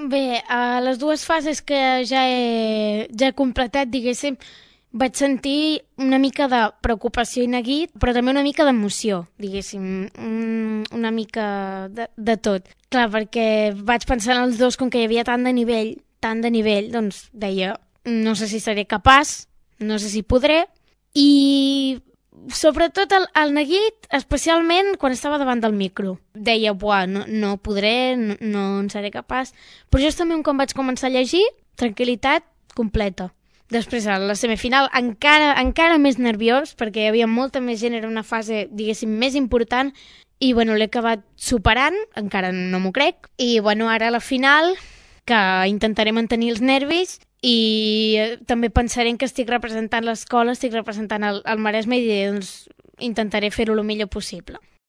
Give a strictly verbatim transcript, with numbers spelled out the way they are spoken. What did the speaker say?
Bé, a les dues fases que ja he, ja he completat, diguéssim, vaig sentir una mica de preocupació i neguit, però també una mica d'emoció, diguéssim, un, una mica de, de tot. Clar, perquè vaig pensar en els dos, com que hi havia tant de nivell, tant de nivell, doncs deia, no sé si seré capaç, no sé si podré, i sobretot el, el neguit, especialment quan estava davant del micro. Deia, buah, no, no podré, no, no en seré capaç. Però justament quan vaig començar a llegir, tranquil·litat completa. Després, a la semifinal, encara, encara més nerviós, perquè hi havia molta més gent, era una fase, diguéssim, més important, i, bueno, l'he acabat superant, encara no m'ho crec, i, bueno, ara a la final, que intentaré mantenir els nervis, i també pensaré que estic representant l'escola, estic representant el, el Maresme, i doncs intentaré fer-ho el millor possible.